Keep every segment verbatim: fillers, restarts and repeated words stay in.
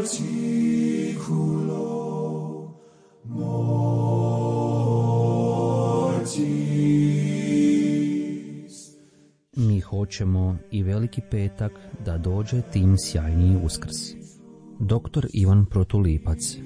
Mi hoćemo i Veliki petak da dođe tim sjajniji Uskrs. Doktor Ivan Protulipac.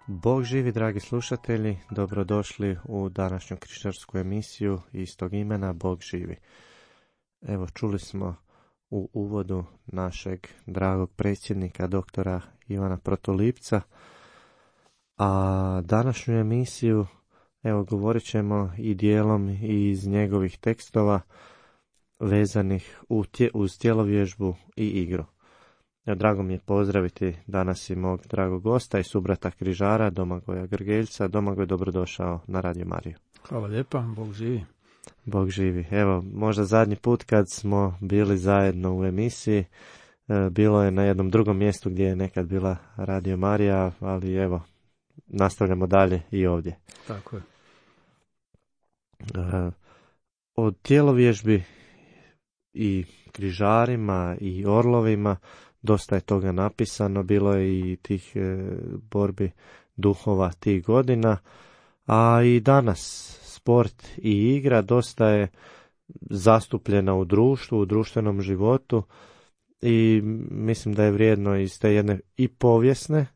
Bog živi, dragi slušatelji, dobrodošli u današnju križarsku emisiju istog imena, Bog živi. Evo, čuli smo u uvodu našeg dragog predsjednika, doktora Ivana Protulipca, a današnju emisiju, evo, govorit ćemo i dijelom iz njegovih tekstova vezanih uz tjelovježbu i igru. Drago mi je pozdraviti danas i mog dragog gosta i subrata križara, Domagoja Grgeljca. Domagoj, dobrodošao na Radio Mariju. Hvala lijepa, Bog živi. Bog živi. Evo, možda zadnji put kad smo bili zajedno u emisiji, bilo je na jednom drugom mjestu gdje je nekad bila Radio Marija, ali evo, nastavljamo dalje i ovdje. Tako je. Od tjelovježbi i križarima i orlovima dosta je toga napisano, bilo je i tih e, borbi duhova tih godina, a i danas sport i igra dosta je zastupljena u društvu, u društvenom životu i mislim da je vrijedno iz te jedne i povijesne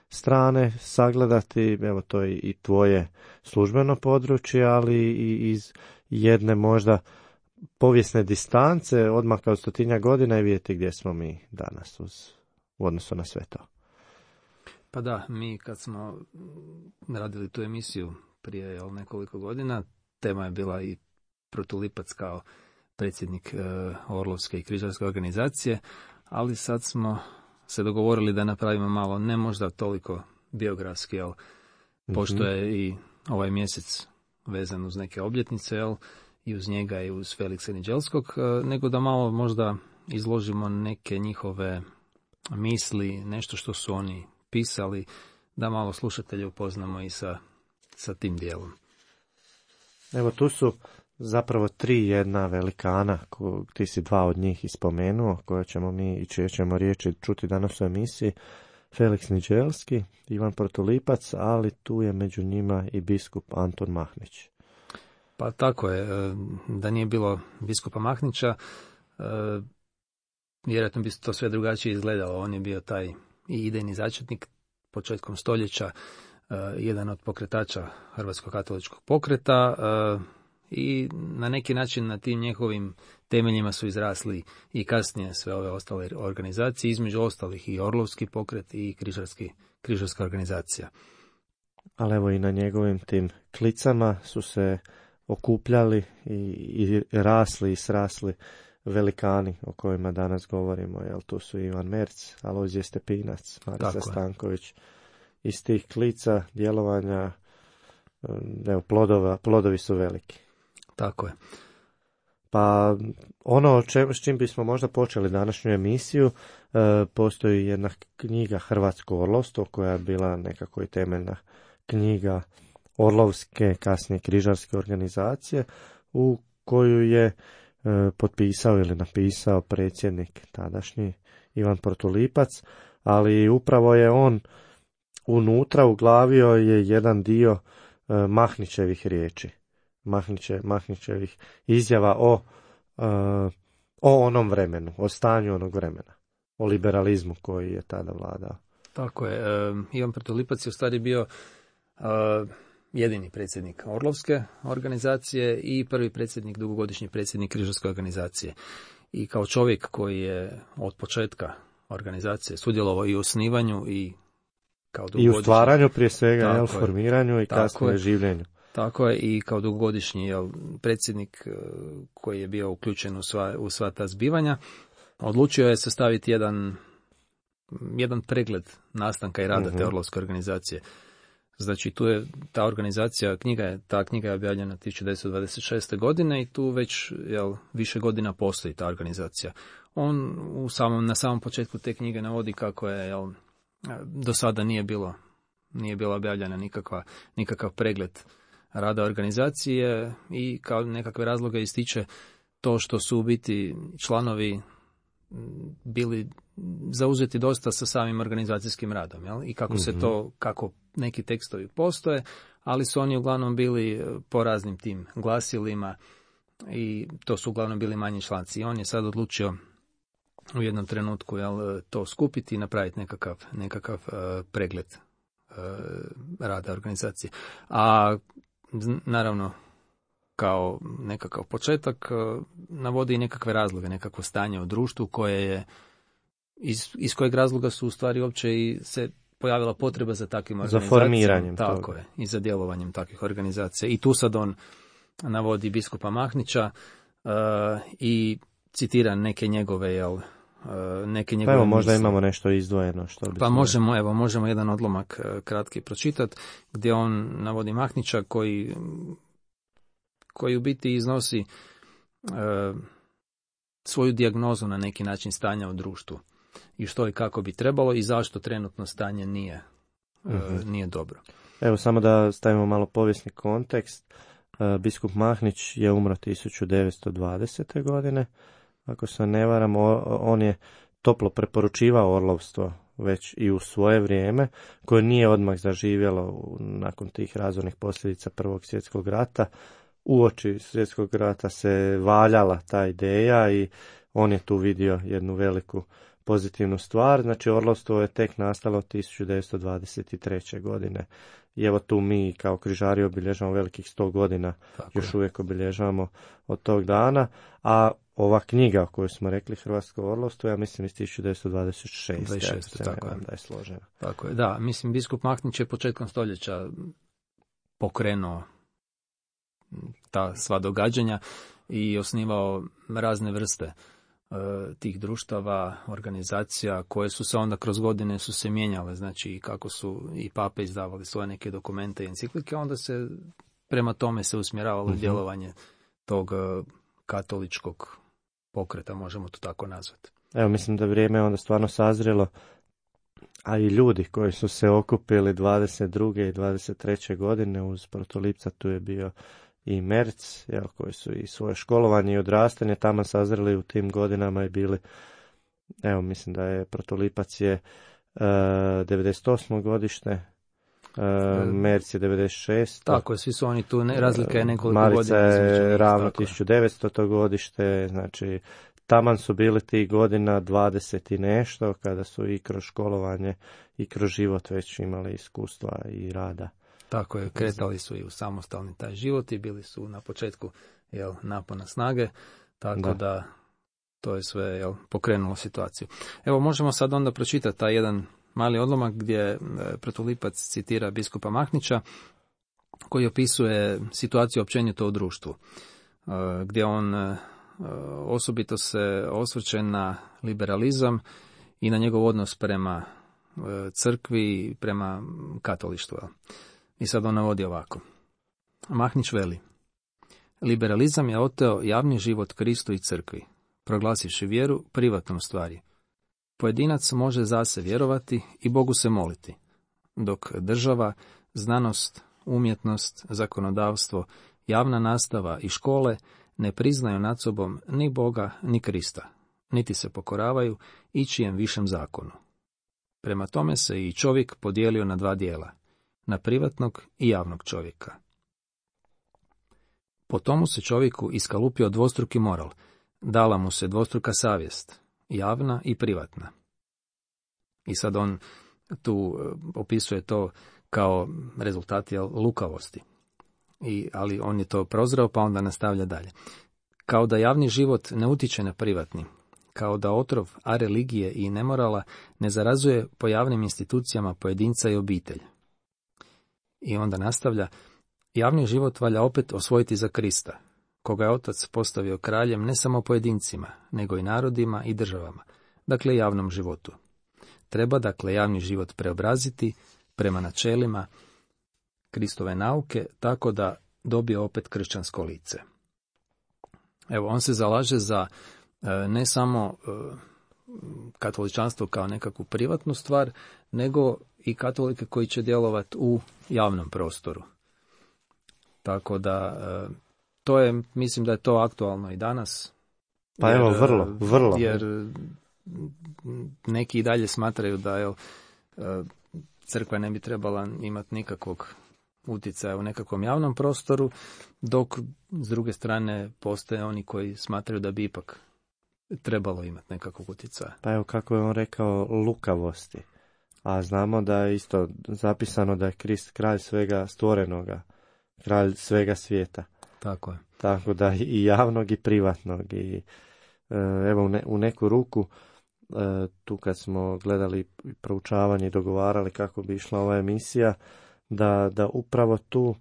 strane sagledati, evo to je i tvoje službeno područje, ali i iz jedne možda povijesne distance, odmah kao stotinja godina i vidjeti gdje smo mi danas uz, u odnosu na sve to. Pa da, mi kad smo radili tu emisiju prije jel, nekoliko godina, tema je bila i Protulipac kao predsjednik e, Orlovske i križarske organizacije, ali sad smo se dogovorili da napravimo malo, ne možda toliko biografski, jel, mm-hmm. pošto je i ovaj mjesec vezan uz neke obljetnice, jel, i uz njega i uz Feliksa Niđelskog, nego da malo možda izložimo neke njihove misli, nešto što su oni pisali, da malo slušatelje upoznamo i sa, sa tim dijelom. Evo, tu su zapravo tri jedna velikana, ko, ti si dva od njih ispomenuo, koje ćemo mi i čije ćemo riječi čuti danas u emisiji. Feliks Niđelski, Ivan Protulipac, ali tu je među njima i biskup Anton Mahnić. Pa tako je, da nije bilo biskupa Mahnića, vjerojatno bi to sve drugačije izgledalo. On je bio taj i idejni začetnik početkom stoljeća, jedan od pokretača Hrvatskog katoličkog pokreta i na neki način na tim njegovim temeljima su izrasli i kasnije sve ove ostale organizacije, između ostalih i Orlovski pokret i križarski, križarska organizacija. Ali evo i na njegovim tim klicama su se okupljali i, i rasli i srasli velikani o kojima danas govorimo. Jel, tu su Ivan Merc, Alojzije Stepinac, Marisa Stanković. Iz tih klica djelovanja, evo, plodova, plodovi su veliki. Tako je. Pa ono če, s čim bismo možda počeli današnju emisiju, e, postoji jedna knjiga Hrvatsko orlovstvo koja je bila nekako i temeljna knjiga Orlovske, kasnije križarske organizacije, u koju je e, potpisao ili napisao predsjednik tadašnji Ivan Protulipac, ali upravo je on unutra uglavio je jedan dio e, Mahnićevih riječi, Mahniće, Mahnićevih izjava o, e, o onom vremenu, o stanju onog vremena, o liberalizmu koji je tada vladao. Tako je, e, Ivan Protulipac je u stvari bio e, jedini predsjednik Orlovske organizacije i prvi predsjednik, dugogodišnji predsjednik Križarske organizacije. I kao čovjek koji je od početka organizacije sudjelovao i u osnivanju i kao I u stvaranju prije svega, jel, je, formiranju i kasnije življenju. Tako je, i kao dugogodišnji jel, predsjednik koji je bio uključen u sva, u sva ta zbivanja, odlučio je sastaviti jedan, jedan pregled nastanka i rada uh-huh. te Orlovske organizacije. Znači, tu je ta organizacija, knjiga je, ta knjiga je objavljena tisuću devetsto dvadeset šeste. godine i tu već jel, više godina postoji ta organizacija. On u samom, na samom početku te knjige navodi kako je jel, do sada nije bilo, nije bila objavljena nikakva, nikakav pregled rada organizacije i kao nekakve razloge ističe to što su u biti članovi bili zauzeti dosta sa samim organizacijskim radom, jel? I kako se to, kako neki tekstovi postoje, ali su oni uglavnom bili po raznim tim glasilima i to su uglavnom bili manji članci. I on je sad odlučio u jednom trenutku jel, to skupiti i napraviti nekakav, nekakav uh, pregled uh, rada organizacije. A naravno, kao nekakav početak, navodi i nekakve razloge, nekakvo stanje u društvu koje je, iz, iz kojeg razloga su u stvari uopće i se pojavila potreba za takvim organizacijama. Za formiranjem Tako toga. je, i za djelovanjem takvih organizacija. I tu sad on navodi biskupa Mahnića uh, i citira neke njegove, jel, uh, neke njegove pa evo, možda misli. Imamo nešto izdvojeno. Što pa možemo, evo, možemo jedan odlomak uh, kratki pročitati, gdje on navodi Mahnića koji koji u biti iznosi uh, svoju dijagnozu na neki način stanja u društvu i što i kako bi trebalo i zašto trenutno stanje nije, uh, uh-huh. nije dobro. Evo, samo da stavimo malo povijesni kontekst. Uh, biskup Mahnić je umro tisuću devetsto dvadesete. godine. Ako se ne varam, on je toplo preporučivao orlovstvo već i u svoje vrijeme, koje nije odmah zaživjelo nakon tih razornih posljedica Prvog svjetskog rata. Uoči svjetskog rata se valjala ta ideja i on je tu vidio jednu veliku pozitivnu stvar. Znači, orlovstvo je tek nastalo tisuću devetsto dvadeset treće. godine. I evo tu mi kao križari obilježavamo velikih sto godina, tako još je. Uvijek obilježavamo od tog dana. A ova knjiga o kojoj smo rekli, Hrvatsko orlovstvo, ja mislim iz tisuću devetsto dvadeset šeste. dvadeset šeste tako je. Da je složena. Tako je, da. Mislim, biskup Mahnić je početkom stoljeća pokrenuo ta sva događanja i osnivao razne vrste e, tih društava, organizacija koje su se onda kroz godine su se mijenjale, znači kako su i pape izdavali svoje neke dokumente i enciklike, onda se prema tome se usmjeravalo uh-huh. djelovanje tog e, katoličkog pokreta, možemo to tako nazvati. Evo, mislim da vrijeme je onda stvarno sazrelo, a i ljudi koji su se okupili dvadeset druge i dvadeset treće. godine uz protolipca, tu je bio i Merc, jel, koji su i svoje školovanje i odrastanje tamo sazreli u tim godinama i bili, evo, mislim da je protolipac je uh, devedeset osmo. godište, uh, Merc je devedeset šesto. Tako je, svi su oni tu, ne, razlika je nekoliko Marica godina. Marica je između, ravno tisuću devetsto. godište, znači taman su bili tih godina dvadeset i nešto, kada su i kroz školovanje i kroz život već imali iskustva i rada. Tako je, kretali su i u samostalni taj život i bili su na početku jel, napona snage, tako da. da to je sve jel, pokrenulo situaciju. Evo, možemo sad onda pročitati taj jedan mali odlomak gdje protolipac citira biskupa Mahnića, koji opisuje situaciju općenito u društvu, gdje on osobito se osvrće na liberalizam i na njegov odnos prema crkvi i prema katolištvu. I sad on navodi ovako. Mahnić veli: liberalizam je oteo javni život Kristu i crkvi, proglasivši vjeru privatnom stvari. Pojedinac može zase vjerovati i Bogu se moliti, dok država, znanost, umjetnost, zakonodavstvo, javna nastava i škole ne priznaju nad sobom ni Boga ni Krista, niti se pokoravaju ičijem višem zakonu. Prema tome se i čovjek podijelio na dva dijela, na privatnog i javnog čovjeka. Po tomu se čovjeku iskalupio dvostruki moral, dala mu se dvostruka savjest, javna i privatna. I sad on tu opisuje to kao rezultat jel, lukavosti. I, ali on je to prozreo pa onda nastavlja dalje. Kao da javni život ne utiče na privatni, kao da otrov a religije i nemorala ne zarazuje po javnim institucijama pojedinca i obitelj. I onda nastavlja, javni život valja opet osvojiti za Krista, koga je Otac postavio kraljem ne samo pojedincima, nego i narodima i državama, dakle javnom životu. Treba dakle javni život preobraziti prema načelima Kristove nauke, tako da dobije opet kršćansko lice. Evo, on se zalaže za e, ne samo e, katoličanstvo kao nekakvu privatnu stvar, nego i katolike koji će djelovati u javnom prostoru. Tako da, e, to je, mislim da je to aktualno i danas. Pa jer, evo, vrlo, vrlo. Jer neki i dalje smatraju da je crkva ne bi trebala imati nikakvog utjecaja u nekakvom javnom prostoru, dok s druge strane postoje oni koji smatraju da bi ipak trebalo imati nekakvog utjecaja. Pa evo kako je on rekao, lukavosti. A znamo da je isto zapisano da je Krist kralj svega stvorenoga, kralj svega svijeta. Tako je. Tako da i javnog i privatnog. I evo u, ne, u neku ruku tu kad smo gledali proučavanje i dogovarali kako bi išla ova emisija, da, da upravo tu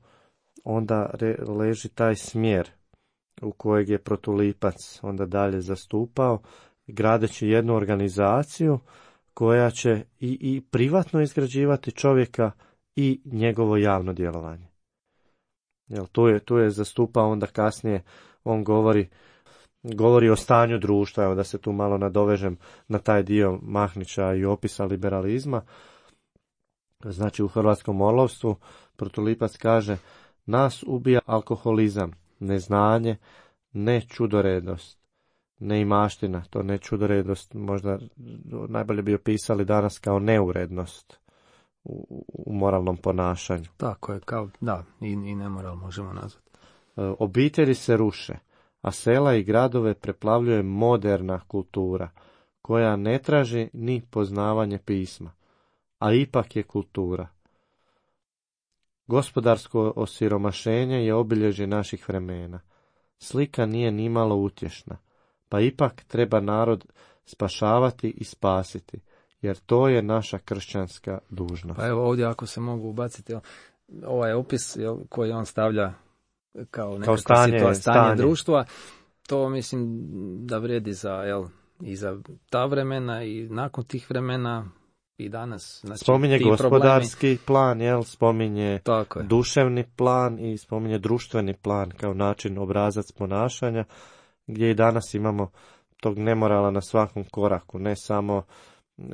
onda re, leži taj smjer u kojeg je Protulipac onda dalje zastupao, gradeći jednu organizaciju koja će i, i privatno izgrađivati čovjeka i njegovo javno djelovanje. Jel, tu je, tu je zastupao onda kasnije, on govori govori o stanju društva, evo da se tu malo nadovežem na taj dio Mahnića i opisa liberalizma. Znači u hrvatskom orlovstvu Protulipac kaže, nas ubija alkoholizam, neznanje, ne čudoredost, ne imaština, to ne čudoredost možda najbolje bi opisali danas kao neurednost u, u moralnom ponašanju. Tako je, kao, da, i, i nemoral možemo nazvati. Obitelji se ruše, a sela i gradove preplavljuje moderna kultura, koja ne traži ni poznavanje pisma, a ipak je kultura. Gospodarsko osiromašenje je obilježje naših vremena. Slika nije nimalo utješna, pa ipak treba narod spašavati i spasiti, jer to je naša kršćanska dužnost. Pa evo ovdje ako se mogu ubaciti, ovaj opis koji on stavlja kao nekakva kao stanje, situa- stanje, stanje društva, to mislim da vrijedi za, jel, i za ta vremena i nakon tih vremena i danas. Znači, spominje gospodarski problemi... plan, jel, spominje duševni plan i spominje društveni plan kao način, obrazac ponašanja, gdje i danas imamo tog nemorala na svakom koraku, ne samo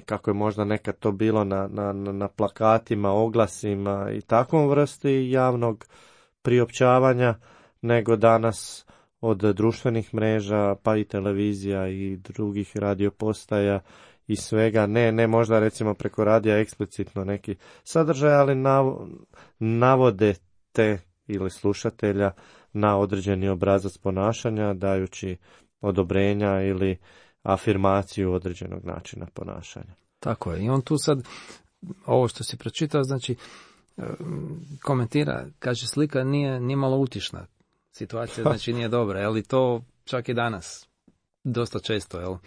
kako je možda nekad to bilo na, na, na plakatima, oglasima i takvom vrsti javnog priopćavanja, nego danas od društvenih mreža, pa i televizija i drugih radiopostaja i svega, ne, ne možda recimo preko radija eksplicitno neki sadržaj, ali nav, navode te ili slušatelja na određeni obrazac ponašanja, dajući odobrenja ili afirmaciju određenog načina ponašanja. Tako je. I on tu sad, ovo što si pročitao, znači, komentira, kaže, slika nije, nije malo utišna. Situacija, znači, nije dobra. Jel, i to čak i danas dosta često, jel,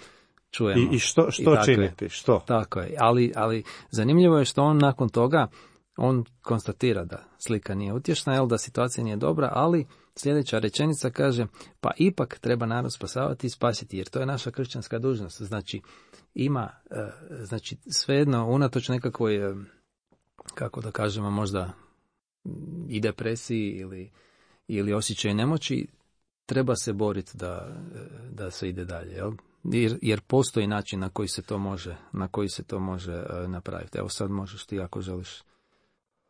čujemo. I, i što, što I činiti? Je. Što? Tako je. Ali, ali zanimljivo je što on nakon toga, on konstatira da slika nije utješna, jel, da situacija nije dobra, ali sljedeća rečenica kaže, pa ipak treba narod spasavati i spasiti, jer to je naša kršćanska dužnost. Znači, ima, znači, svejedno, unatoč nekakvoj, kako da kažemo, možda i depresiji ili, ili osjećaju nemoći, treba se boriti da, da se ide dalje, jel? Jer, jer postoji način na koji se to može, na koji se to može napraviti. Evo sad možeš ti ako želiš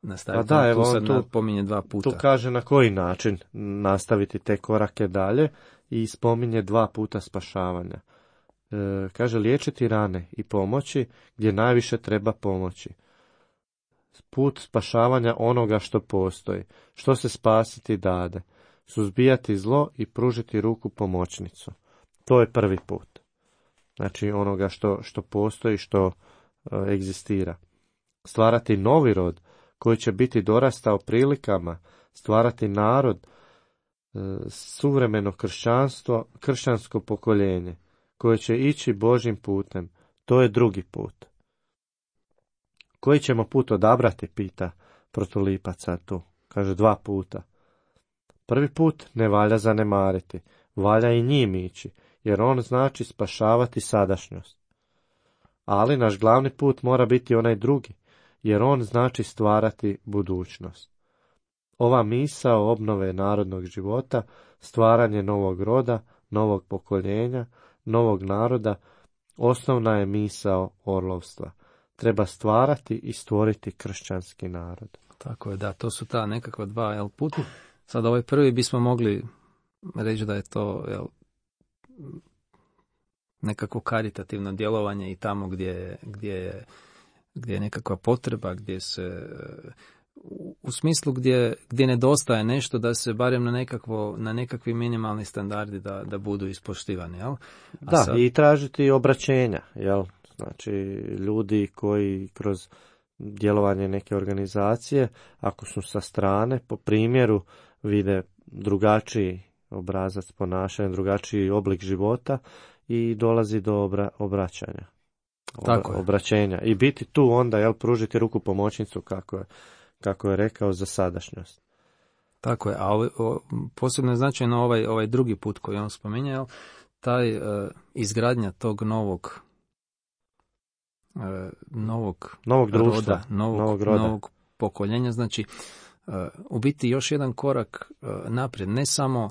nastaviti. Pa da, evo, tu sad tu, napominje dva puta. Tu kaže na koji način nastaviti te korake dalje i spominje dva puta spašavanja. E, kaže liječiti rane i pomoći gdje najviše treba pomoći. Put spašavanja onoga što postoji, što se spasiti dade, suzbijati zlo i pružiti ruku pomoćnicu. To je prvi put. Znači onoga što, što postoji, što e, egzistira. Stvarati novi rod koji će biti dorastao prilikama, stvarati narod, suvremeno kršćanstvo, kršćansko pokoljenje, koje će ići Božjim putem. To je drugi put. Koji ćemo put odabrati, pita protulipaca tu. Kaže dva puta. Prvi put ne valja zanemariti, valja i njim ići, jer on znači spašavati sadašnjost. Ali naš glavni put mora biti onaj drugi, jer on znači stvarati budućnost. Ova misao obnove narodnog života, stvaranje novog roda, novog pokoljenja, novog naroda, osnovna je misao orlovstva. Treba stvarati i stvoriti kršćanski narod. Tako je, da, to su ta nekakva dva jel, puta. Sad ovaj prvi bismo mogli reći da je to jel, nekako karitativno djelovanje i tamo gdje, gdje, je, gdje je nekakva potreba, gdje se u smislu gdje, gdje nedostaje nešto da se barem na, nekakvo, na nekakvi minimalni standardi da, da budu ispoštivani. Jel? A da, sad... i tražiti obraćenja. Jel? Znači, ljudi koji kroz djelovanje neke organizacije, ako su sa strane, po primjeru vide drugačiji obrazac ponašanja, drugačiji oblik života i dolazi do obra, obraćanja. Obra, Tako je. Obraćenja. I biti tu onda, jel, pružiti ruku pomoćnicu, kako je, kako je rekao, za sadašnjost. Tako je, a o, o, posebno je značajno ovaj, ovaj drugi put koji on spominjao, taj uh, izgradnja tog novog uh, novog, novog društva, roda, novog, novog, roda. novog pokoljenja, znači uh, u biti još jedan korak uh, naprijed, ne samo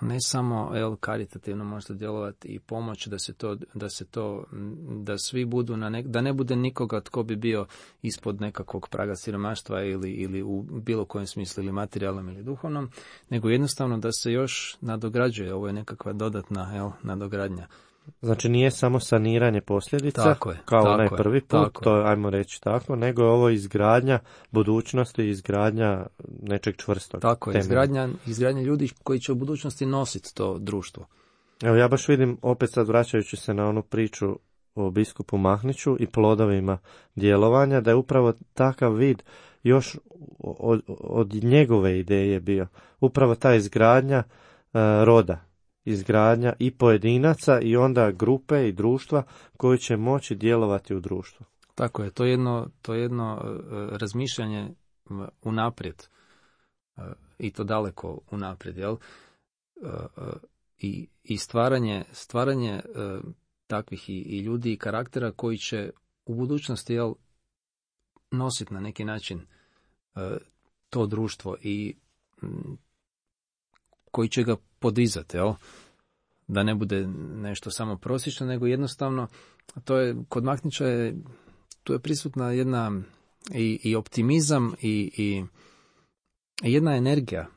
ne samo el, karitativno možete djelovati i pomoć da se to, da se to, da svi budu na nek, da ne bude nikoga tko bi bio ispod nekakvog praga siromaštva ili, ili u bilo kojem smislu ili materijalnom ili duhovnom, nego jednostavno da se još nadograđuje, ovo je nekakva dodatna el, nadogradnja. Znači nije samo saniranje posljedica, tako je, kao tako onaj je, prvi put, tako to je, ajmo reći tako, nego je ovo izgradnja budućnosti, izgradnja nečeg čvrstog. Tako je, izgradnja, izgradnja ljudi koji će u budućnosti nositi to društvo. Evo ja baš vidim, opet sad vraćajući se na onu priču o biskupu Mahniću i plodovima djelovanja, da je upravo takav vid još od, od njegove ideje bio. Upravo ta izgradnja uh, roda. Izgradnja i pojedinaca i onda grupe i društva koji će moći djelovati u društvu. Tako je, to je jedno, to je jedno uh, razmišljanje unaprijed uh, i to daleko unaprijed, jel? Uh, uh, i, i stvaranje, stvaranje uh, takvih i, i ljudi i karaktera koji će u budućnosti, jel, nositi na neki način uh, to društvo i um, koji će ga podizati, jel? Da ne bude nešto samo prosječno, nego jednostavno, to je, kod Mahnića je, tu je prisutna jedna i, i optimizam i, i jedna energija,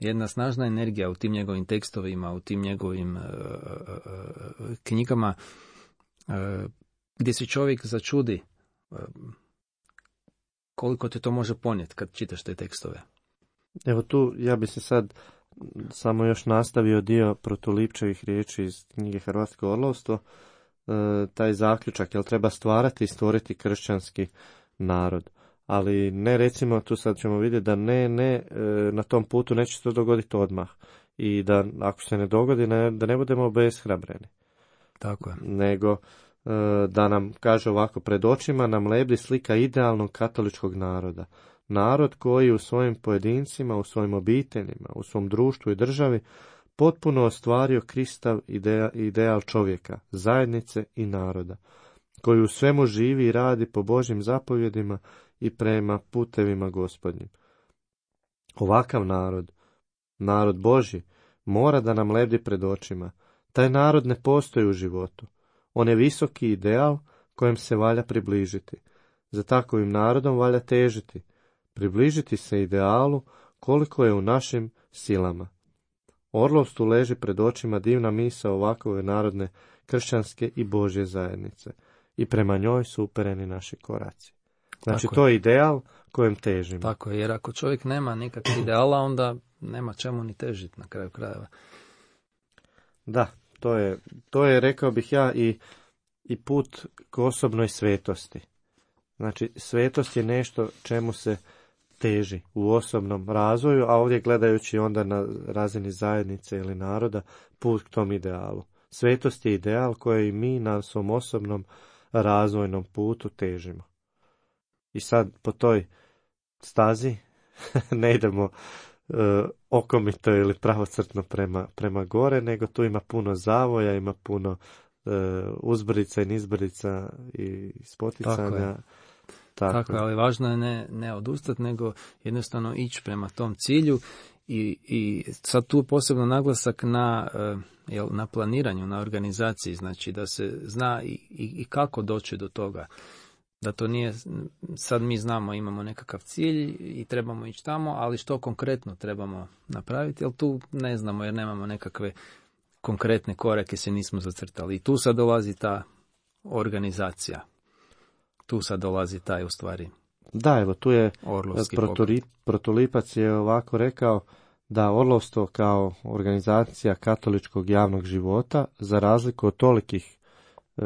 jedna snažna energija u tim njegovim tekstovima, u tim njegovim uh, uh, knjigama, uh, gdje se čovjek začudi uh, koliko te to može ponijeti kad čitaš te tekstove. Evo tu ja bi se sad samo još nastavio dio Protulipčevih riječi iz knjige Hrvatsko orlovstvo, e, taj zaključak, jel treba stvarati i stvoriti kršćanski narod. Ali ne, recimo, tu sad ćemo vidjeti da ne, ne, e, na tom putu neće se to dogoditi odmah. I da ako se ne dogodi, ne, da ne budemo obeshrabreni. Tako je. Nego e, da nam, kaže ovako, pred očima nam lebdi slika idealnog katoličkog naroda. Narod koji u svojim pojedincima, u svojim obiteljima, u svom društvu i državi potpuno ostvario Kristav ideal, ideal čovjeka, zajednice i naroda, koji u svemu živi i radi po Božjim zapovjedima i prema putevima Gospodnjim. Ovakav narod, narod Božji, mora da nam lebdi pred očima. Taj narod ne postoji u životu. On je visoki ideal kojem se valja približiti. Za takovim narodom valja težiti. Približiti se idealu koliko je u našim silama. Orlovstvu leži pred očima divna misao ovakove narodne, kršćanske i Božje zajednice. I prema njoj su upereni naši koraci. Znači Tako to je je ideal kojem težimo. Tako je, jer ako čovjek nema nikakvog ideala, onda nema čemu ni težiti na kraju krajeva. Da, to je, to je rekao bih ja i, i put k osobnoj svetosti. Znači, svetost je nešto čemu se teži u osobnom razvoju, a ovdje gledajući onda na razini zajednice ili naroda put k tom idealu. Svetost je ideal koji mi na svom osobnom razvojnom putu težimo. I sad po toj stazi ne idemo uh, okomito ili pravocrtno prema, prema gore, nego tu ima puno zavoja, ima puno uh, uzbrdica i nizbrdica i spoticanja. Tako je. Tako. Tako, ali važno je ne, ne odustati, nego jednostavno ići prema tom cilju i, i sad tu posebno naglasak na, jel, na planiranju, na organizaciji, znači da se zna i, i, i kako doći do toga. Da to nije, sad mi znamo, imamo nekakav cilj i trebamo ići tamo, ali što konkretno trebamo napraviti, jer tu ne znamo jer nemamo nekakve konkretne korake, se nismo zacrtali. I tu sad dolazi ta organizacija. Tu sad dolazi taj u stvari. Da, evo tu je Proturi, Protulipac je ovako rekao da orlovstvo kao organizacija katoličkog javnog života, za razliku od tolikih e,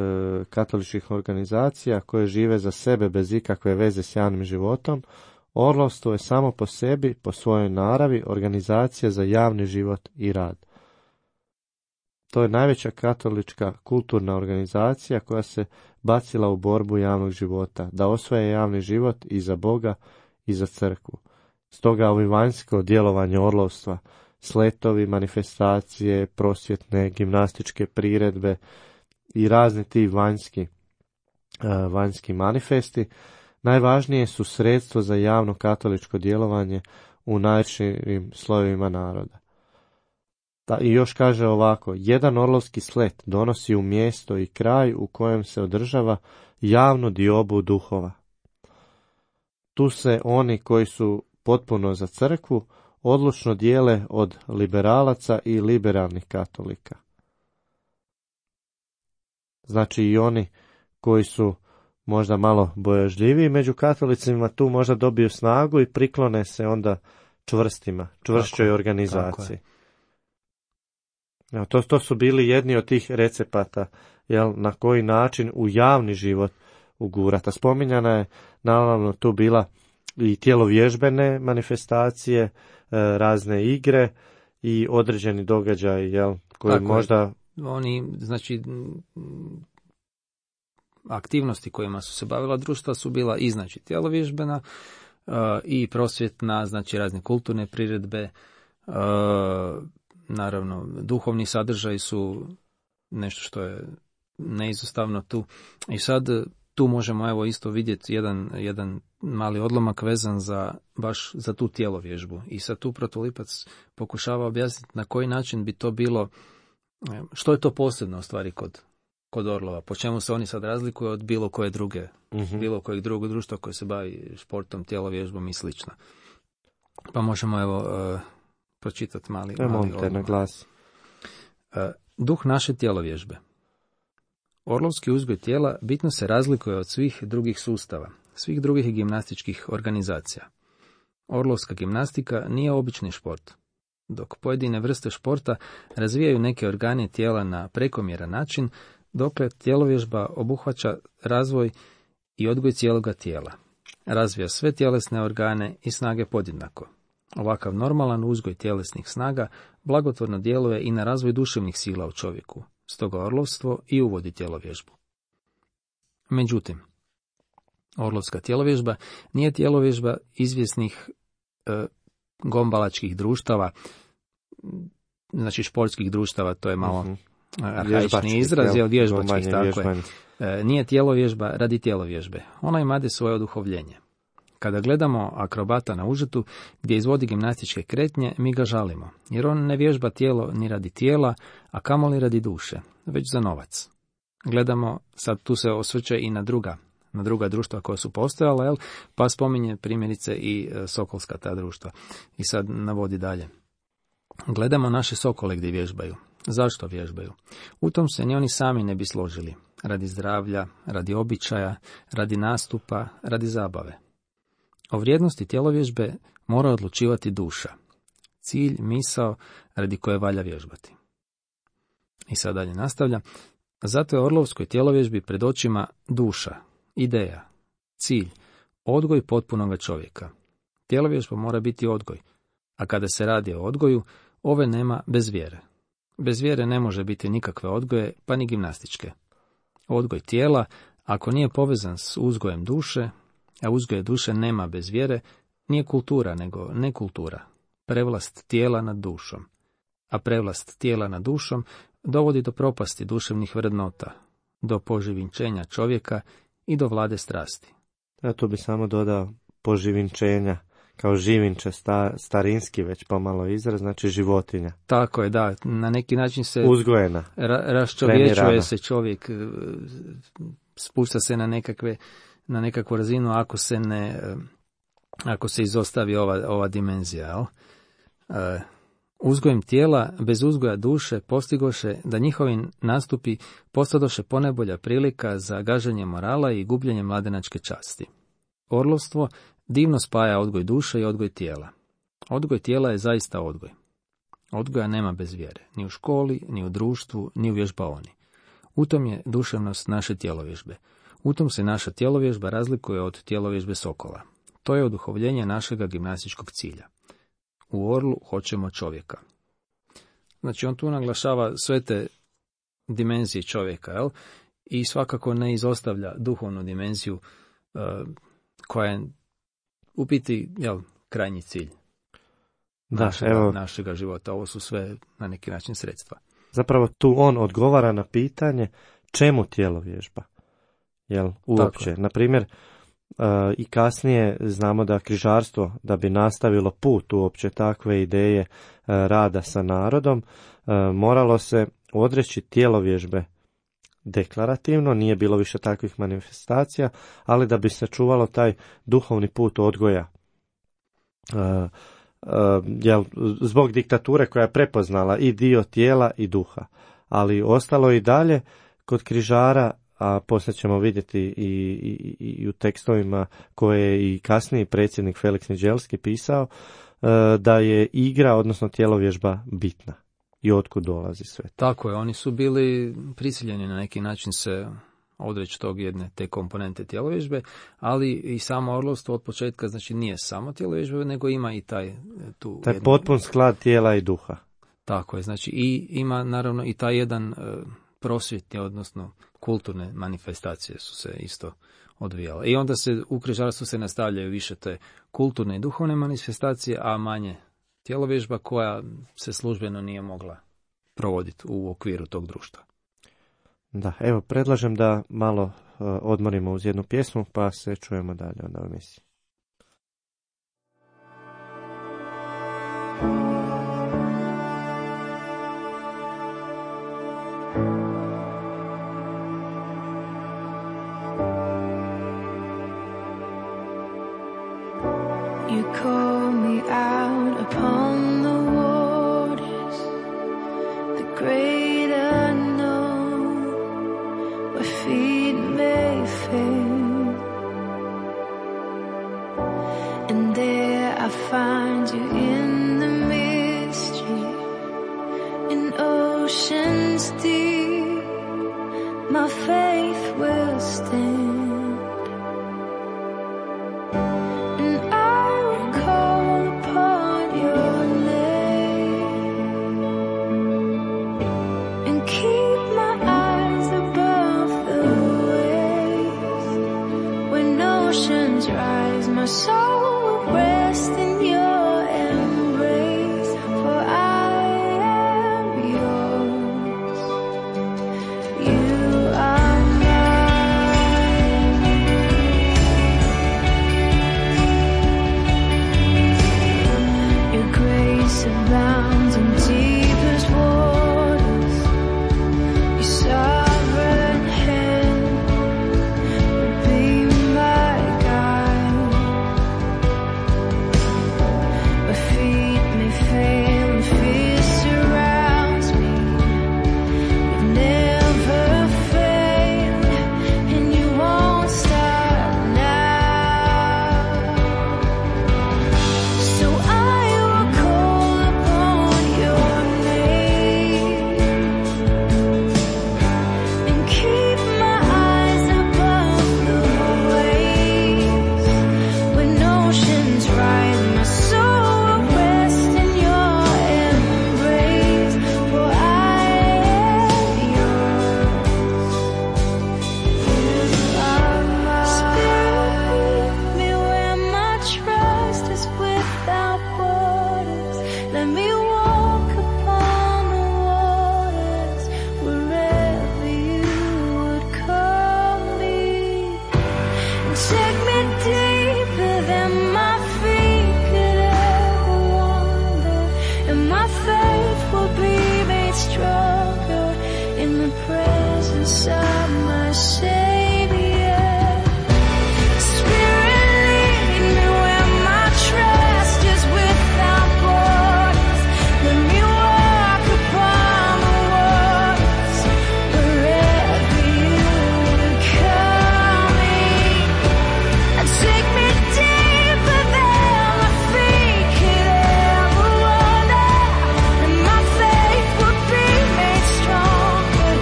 katoličkih organizacija koje žive za sebe bez ikakve veze s javnim životom, orlovstvo je samo po sebi, po svojoj naravi, organizacija za javni život i rad. To je najveća katolička kulturna organizacija koja se bacila u borbu javnog života, da osvaja javni život i za Boga i za crkvu. Stoga ovi vanjsko djelovanje orlovstva, sletovi, manifestacije, prosvjetne, gimnastičke priredbe i razni ti vanjski, uh, vanjski manifesti, najvažnije su sredstvo za javno katoličko djelovanje u najširim slojevima naroda. Da, i još kaže ovako, jedan orlovski slet donosi u mjesto i kraj u kojem se održava javnu diobu duhova. Tu se oni koji su potpuno za crkvu odlučno dijele od liberalaca i liberalnih katolika. Znači i oni koji su možda malo bojažljiviji među katolicima tu možda dobiju snagu i priklone se onda čvrstima, čvršćoj organizaciji. Ja, to, to su bili jedni od tih recepata, jel, na koji način u javni život ugurata. Spominjana je naravno tu bila i tjelovježbene manifestacije, e, razne igre i određeni događaj, jel, koji Tako možda... Je. Oni, znači, aktivnosti kojima su se bavila društva su bila i, znači, tjelovježbena uh, i prosvjetna, znači, razne kulturne priredbe, uh, naravno, duhovni sadržaji su nešto što je neizostavno tu. I sad tu možemo evo isto vidjeti jedan, jedan mali odlomak vezan za baš za tu tjelovježbu. I sad tu Protulipac pokušava objasniti na koji način bi to bilo, što je to posebno u stvari kod, kod orlova, po čemu se oni sad razlikuju od bilo koje druge, uh-huh. bilo kojeg drugog društva koje se bavi športom, tjelovježbom i slično. Pa možemo evo uh, pročitati mali, ja, mali odlomak. Na glas. Uh, duh naše tjelovježbe. Orlovski uzgoj tijela bitno se razlikuje od svih drugih sustava, svih drugih gimnastičkih organizacija. Orlovska gimnastika nije obični šport. Dok pojedine vrste športa razvijaju neke organe tijela na prekomjeran način, dokle tjelovježba obuhvaća razvoj i odgoj cijeloga tijela. Razvija sve tjelesne organe i snage podjednako. Ovakav normalan uzgoj tjelesnih snaga blagotvorno djeluje i na razvoj duševnih sila u čovjeku, stoga orlovstvo i uvodi tjelovježbu. Međutim, orlovska tjelovježba nije tjelovježba izvjesnih e, gombalačkih društava, znači športskih društava, to je malo uh-huh. arhaični izraz, jer vježbačkih, tako je. E, nije tjelovježba radi tjelovježbe, ona imade svoje oduhovljenje. Kada gledamo akrobata na užetu gdje izvodi gimnastičke kretnje, mi ga žalimo, jer on ne vježba tijelo ni radi tijela, a kamoli radi duše, već za novac. Gledamo, sad tu se osvrće i na druga, na druga društva koja su postojala, jel? Pa spominje primjerice i sokolska ta društva. I sad navodi dalje. Gledamo naše sokole gdje vježbaju. Zašto vježbaju? U tom se ni oni sami ne bi složili. Radi zdravlja, radi običaja, radi nastupa, radi zabave. O vrijednosti tjelovježbe mora odlučivati duša. Cilj, misao, radi koje valja vježbati. I sad dalje nastavlja. Zato je orlovskoj tjelovježbi pred očima duša, ideja, Cilj, odgoj potpunoga čovjeka. Tjelovježba mora biti odgoj, a kada se radi o odgoju, ove nema bez vjere. Bez vjere ne može biti nikakve odgoje, pa ni gimnastičke. Odgoj tijela, ako nije povezan s uzgojem duše, a uzgoje duše nema bez vjere, nije kultura, nego nekultura, prevlast tijela nad dušom. A prevlast tijela nad dušom dovodi do propasti duševnih vrednota, do poživinčenja čovjeka i do vlade strasti. Ja tu bi samo dodao poživinčenja, kao živinče, sta, starinski već pomalo izraz, znači životinja. Tako je, da, na neki način se uzgojena, ra, raščovječuje se čovjek, spušta se na nekakve, na nekakvu razinu ako se ne, ako se izostavi ova, ova dimenzija, jel? E, uzgojem tijela, bez uzgoja duše, postigoše da njihovi nastupi postadoše ponajbolja prilika za gaženje morala i gubljenje mladenačke časti. Orlovstvo divno spaja odgoj duše i odgoj tijela. Odgoj tijela je zaista odgoj. Odgoja nema bez vjere, ni u školi, ni u društvu, ni u vježbaoni. U tom je duševnost naše tjelovježbe. U tom se naša tjelovježba razlikuje od tjelovježbe sokola. To je oduhovljenje našega gimnastičkog cilja. U orlu hoćemo čovjeka. Znači, on tu naglašava sve te dimenzije čovjeka, jel? I svakako ne izostavlja duhovnu dimenziju uh, koja je u biti, jel, krajnji cilj da, našega, evo, našega života. Ovo su sve na neki način sredstva. Zapravo tu on odgovara na pitanje čemu tjelovježba, jel, uopće. Na primjer, uh, i kasnije znamo da križarstvo, da bi nastavilo put uopće takve ideje uh, rada sa narodom, uh, moralo se odreći tjelovježbe deklarativno, nije bilo više takvih manifestacija, ali da bi se čuvalo taj duhovni put odgoja. Uh, uh, jel, zbog diktature koja je prepoznala i dio tijela i duha. Ali ostalo i dalje kod križara, a poslije ćemo vidjeti i, i, i u tekstovima koje je i kasniji predsjednik Felix Niđelski pisao, uh, da je igra, odnosno tjelovježba bitna. I otkud dolazi sve. Tako je, oni su bili prisiljeni na neki način se odreći tog jedne te komponente tjelovježbe, ali i samo orlovstvo od početka, znači nije samo tjelovježbe, nego ima i taj tu taj jednu... potpun sklad tijela i duha. Tako je, znači i ima naravno i taj jedan uh, prosvjetni, odnosno kulturne manifestacije su se isto odvijale. I onda se u križarstvu se nastavljaju više te kulturne i duhovne manifestacije, a manje tjelovježba koja se službeno nije mogla provoditi u okviru tog društva. Da, evo, predlažem da malo uh, odmorimo uz jednu pjesmu, pa se čujemo dalje onda u emisiji. You call me out upon the waters, the great unknown, where feet may fail, and there I find you in the mystery, in oceans deep, my faith will stand. You are mine. presence of my Savior. Spirit, lead me where my trust is without borders. Let me walk upon the waters wherever you would call me. And take me deeper than my feet could ever wander. And my faith would be made stronger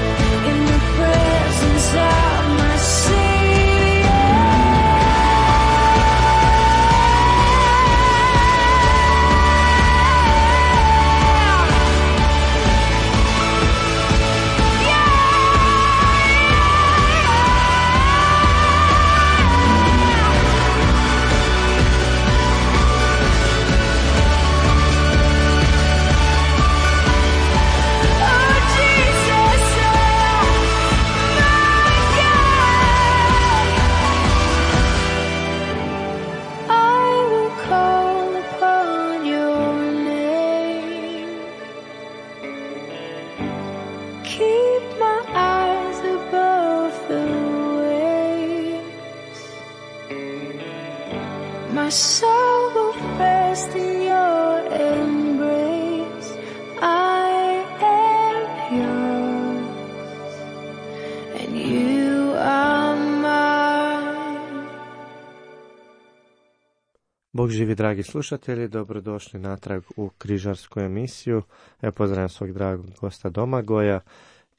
in the presence of my Savior. Oh, Jesus, my God. I will call upon your name. Keep my eyes above the waves. My soul will rest in your embrace. I am yours, and you are mine. Bog živi, dragi slušatelji, dobrodošli natrag u križarsku emisiju. Ja pozdravljam svog dragog gosta Domagoja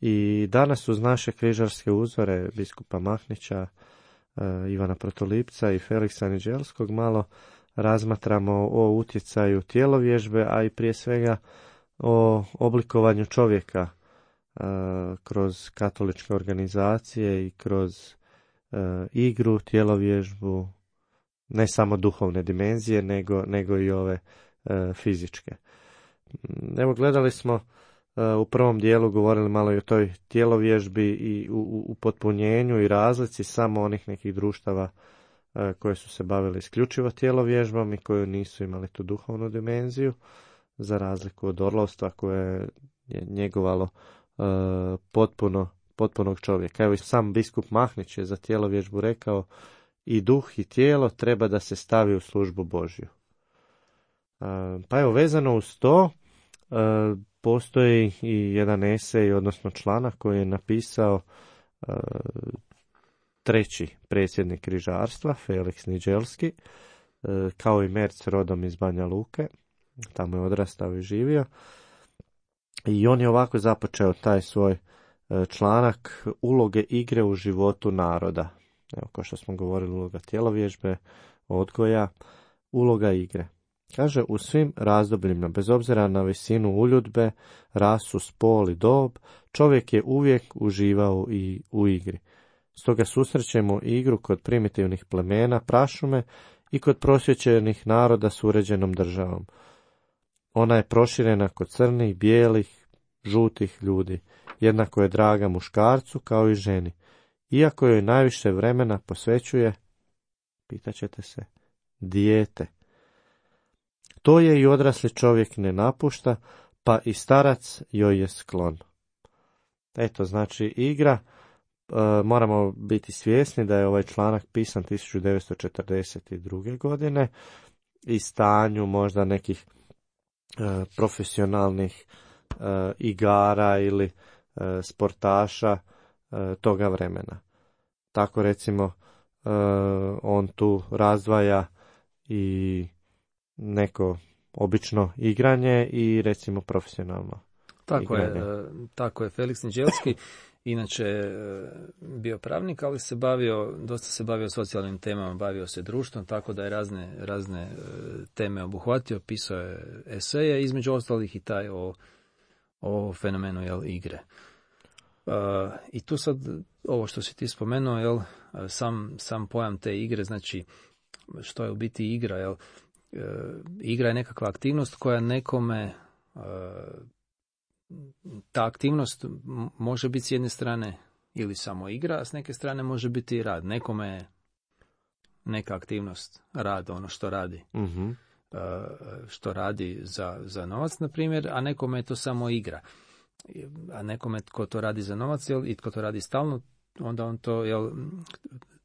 i danas uz naše križarske uzore biskupa Mahnića, eh, Ivana Protolipca i Feliksa Niđelskog malo razmatramo o utjecaju tjelovježbe, a i prije svega o oblikovanju čovjeka eh, kroz katoličke organizacije i kroz eh, igru, tjelovježbu, ne samo duhovne dimenzije, nego, nego i ove e, fizičke. Evo, gledali smo e, u prvom dijelu, govorili malo i o toj tjelovježbi i u, u potpunjenju i razlici samo onih nekih društava e, koje su se bavili isključivo tjelovježbom i koje nisu imali tu duhovnu dimenziju, za razliku od orlovstva koje je njegovalo e, potpuno, potpunog čovjeka. Evo, i sam biskup Mahnić je za tjelovježbu rekao: i duh i tijelo treba da se stavi u službu Božju. Pa evo, vezano uz to, postoji i jedan esej, odnosno članak koji je napisao treći predsjednik križarstva, Feliks Niđelski, kao i Merc, rodom iz Banja Luke, tamo je odrastao i živio. I on je ovako započeo taj svoj članak: uloge igre u životu naroda. Evo, kao što smo govorili, uloga tjelovježbe, odgoja, uloga igre. Kaže: u svim razdobljima, bez obzira na visinu uljudbe, rasu, spol i dob, čovjek je uvijek uživao i u igri. Stoga susrećemo igru kod primitivnih plemena, prašume i kod prosvjećenih naroda s uređenom državom. Ona je proširena kod crnih, bijelih, žutih ljudi. Jednako je draga muškarcu kao i ženi. Iako joj najviše vremena posvećuje, pitaćete se, dijete. To je i odrasli čovjek ne napušta, pa i starac joj je sklon. Eto, znači igra, e, moramo biti svjesni da je ovaj članak pisan tisuću devetsto četrdeset druge. godine i stanju možda nekih e, profesionalnih e, igara ili e, sportaša e, toga vremena. Tako recimo e, on tu razdvaja i neko obično igranje i recimo profesionalno tako igranje. je, tako je. Feliks Niđelski inače bio pravnik, ali se bavio, dosta se bavio socijalnim temama, bavio se društvom, tako da je razne, razne teme obuhvatio, pisao je eseje, između ostalih i taj o, o fenomenu, jel, igre. Uh, I tu sad, ovo što si ti spomenuo, jel, sam, sam pojam te igre, znači što je u biti igra, jel, uh, igra je nekakva aktivnost koja nekome, uh, ta aktivnost može biti s jedne strane ili samo igra, a s neke strane može biti i rad. Nekome je neka aktivnost rad, ono što radi. Mm-hmm. Uh, što radi za, za novac, na primjer, a nekome je to samo igra. a nekome tko to radi za novac, jel, i tko to radi stalno, onda on to, jel,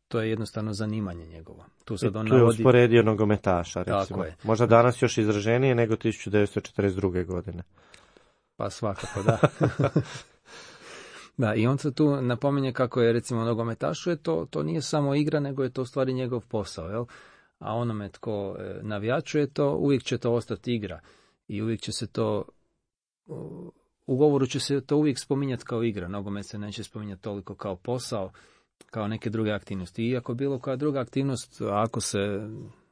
to je jednostavno zanimanje njegovo. Tu sad on tu je navodi... usporedio nogometaša, recimo. Tako je. Možda danas još izraženije nego tisuću devetsto četrdeset druge. godine. Pa svakako, da. Da, i on se tu napominje kako je, recimo, nogometašu, je to, to nije samo igra, nego je to u stvari njegov posao, jel? A onome tko navijačuje to, uvijek će to ostati igra. I uvijek će se to, u govoru će se to uvijek spominjati kao igra. Nogomet se neće spominjati toliko kao posao, kao neke druge aktivnosti. Iako bilo koja druga aktivnost, ako se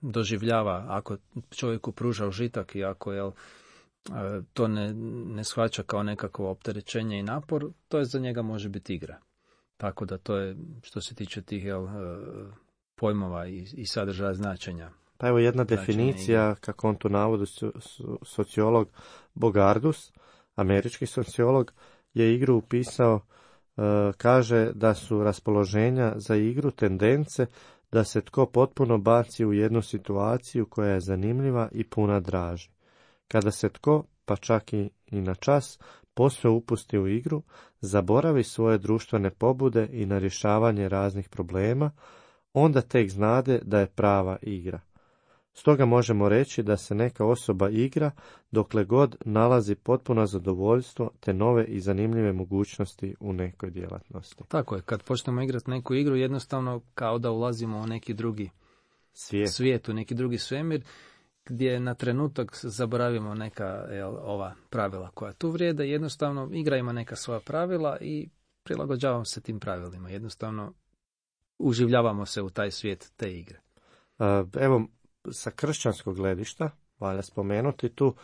doživljava, ako čovjeku pruža užitak i ako, jel, to ne, ne shvaća kao nekakvo opterećenje i napor, to je za njega može biti igra. Tako da to je, što se tiče tih, jel, pojmova i, i sadržaja značenja. Pa evo jedna definicija, kako on tu navodi, sociolog Bogardus, američki sociolog, je igru upisao, e, kaže da su raspoloženja za igru tendence da se tko potpuno baci u jednu situaciju koja je zanimljiva i puna draži. Kada se tko, pa čak i, i na čas, posve upusti u igru, zaboravi svoje društvene pobude i na rješavanje raznih problema, onda tek znade da je prava igra. Stoga možemo reći da se neka osoba igra dokle god nalazi potpuno zadovoljstvo te nove i zanimljive mogućnosti u nekoj djelatnosti. Tako je, kad počnemo igrati neku igru, jednostavno kao da ulazimo u neki drugi svijet, svijet u neki drugi svemir, gdje na trenutak zaboravimo neka, jel, ova pravila koja tu vrijede, jednostavno igra ima neka svoja pravila i prilagođavamo se tim pravilima, jednostavno uživljavamo se u taj svijet te igre. Evo, sa kršćanskog gledišta, valja spomenuti tu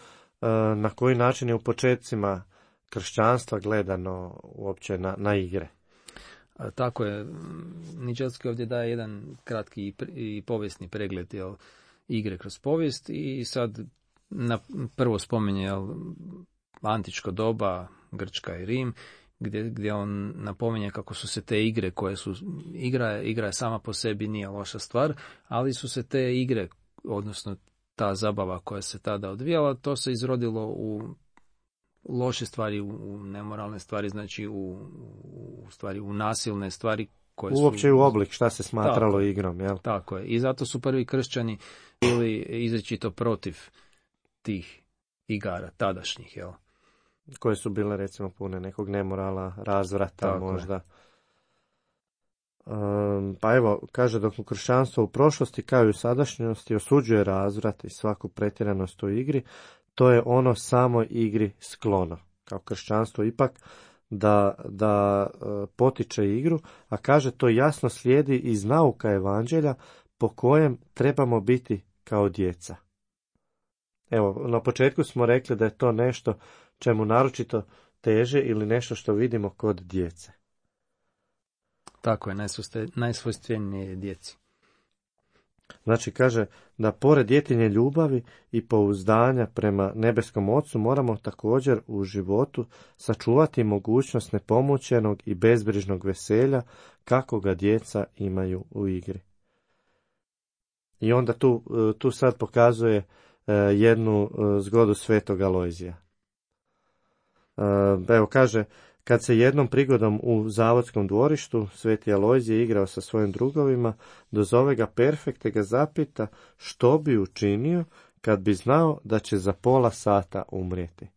na koji način je u početcima kršćanstva gledano uopće na, na igre. Tako je, Niđelski ovdje daje jedan kratki i povijesni pregled, jel, igre kroz povijest i sad na prvo spominje, jel, antičko doba, Grčka i Rim, gdje, gdje on napominje kako su se te igre koje su, igra, igra je sama po sebi nije loša stvar, ali su se te igre, odnosno ta zabava koja se tada odvijala, to se izrodilo u loše stvari, u nemoralne stvari, znači u, u stvari u nasilne stvari koje su... Uopće u oblik šta se smatralo tako, igrom, jel? Tako je. I zato su prvi kršćani bili izričito protiv tih igara, tadašnjih, jel? Koje su bile, recimo, pune nekog nemorala, razvrata, tako možda. Um, pa evo, kaže, dok u kršćanstvo u prošlosti kao i u sadašnjosti osuđuje razvrat i svaku pretjeranost u igri, to je ono samo igri sklono. Kao kršćanstvo ipak da, da uh, potiče igru, a kaže to jasno slijedi iz nauka evanđelja po kojem trebamo biti kao djeca. Evo, na početku smo rekli da je to nešto čemu naročito teže ili nešto što vidimo kod djece. Tako je, najsvojstvenije djeci. Znači, kaže da pored djetinje ljubavi i pouzdanja prema nebeskom Ocu moramo također u životu sačuvati mogućnost nepomućenog i bezbrižnog veselja kako ga djeca imaju u igri. I onda tu, tu sad pokazuje jednu zgodu svetog Alojzija. Evo, kaže, kad se jednom prigodom u zavodskom dvorištu sveti Alojzije igrao sa svojim drugovima, dozove ga perfekt te ga zapita što bi učinio kad bi znao da će za pola sata umrijeti.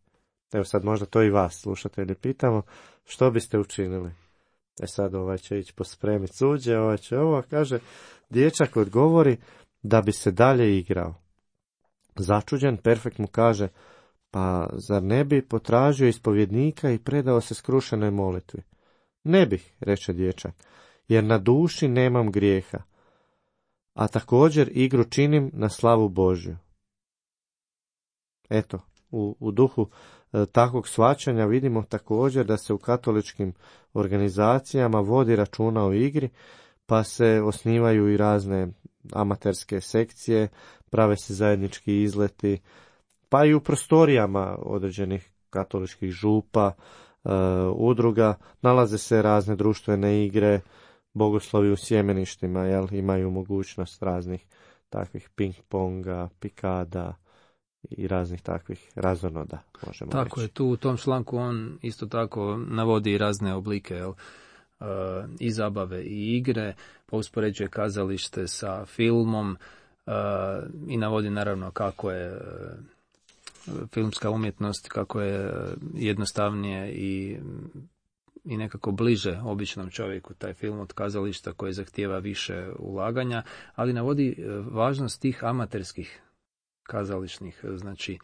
Evo sad možda to i vas, slušatelji, pitamo, što biste učinili? E sad ovaj će ići pospremiti suđe, ovaj će ovo, kaže, dječak odgovori da bi se dalje igrao. Začuđen, perfekt mu kaže, pa zar ne bi potražio ispovjednika i predao se skrušenoj molitvi? Ne bih, reče dječak, jer na duši nemam grijeha, a također igru činim na slavu Božju. Eto, u, u duhu e, takvog shvaćanja vidimo također da se u katoličkim organizacijama vodi računa o igri, pa se osnivaju i razne amaterske sekcije, prave se zajednički izleti, pa i u prostorijama određenih katoličkih župa, e, udruga, nalaze se razne društvene igre, bogoslovi u sjemeništima, jel, imaju mogućnost raznih takvih ping-ponga, pikada i raznih takvih razonoda, možemo Tako reći. je, tu u tom članku on isto tako navodi i razne oblike, jel, uh, i zabave i igre, pa uspoređuje kazalište sa filmom uh, i navodi naravno kako je uh, filmska umjetnost, kako je jednostavnije i, i nekako bliže običnom čovjeku taj film od kazališta koji zahtijeva više ulaganja, ali navodi uh, važnost tih amaterskih kazališnih, znači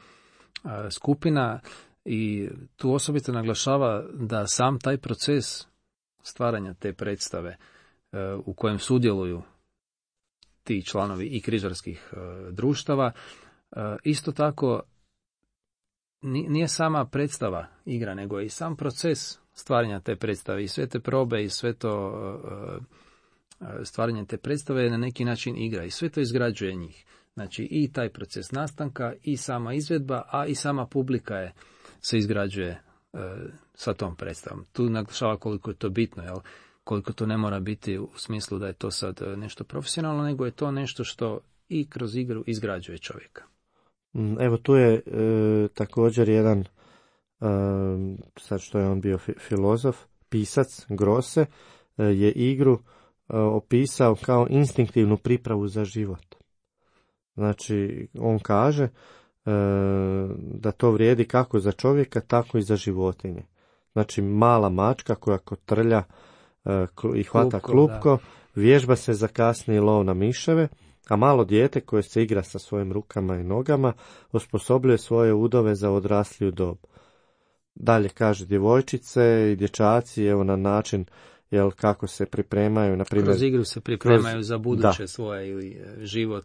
skupina, i tu osobito naglašava da sam taj proces stvaranja te predstave u kojem sudjeluju ti članovi i križarskih društava, isto tako nije sama predstava igra, nego i sam proces stvaranja te predstave i sve te probe i sve to stvaranje te predstave je na neki način igra i sve to izgrađuje njih. Znači i taj proces nastanka i sama izvedba, a i sama publika je, se izgrađuje e, sa tom predstavom. Tu naglašava koliko je to bitno, jel? Koliko to ne mora biti u smislu da je to sad nešto profesionalno, nego je to nešto što i kroz igru izgrađuje čovjeka. Evo tu je e, također jedan, e, sad što je on bio fi, filozof, pisac Grosse, e, je igru e, opisao kao instinktivnu pripravu za život. Znači, on kaže e, da to vrijedi kako za čovjeka, tako i za životinje. Znači, mala mačka koja kotrlja e, i hvata klupko, klupko, vježba se za kasniji lov na miševe, a malo dijete koje se igra sa svojim rukama i nogama osposobljuje svoje udove za odrasliju dob. Dalje kaže, djevojčice i dječaci, evo na način, jel, kako se pripremaju, na primjer, kroz igru se pripremaju kroz, za buduće da. svoje ili život,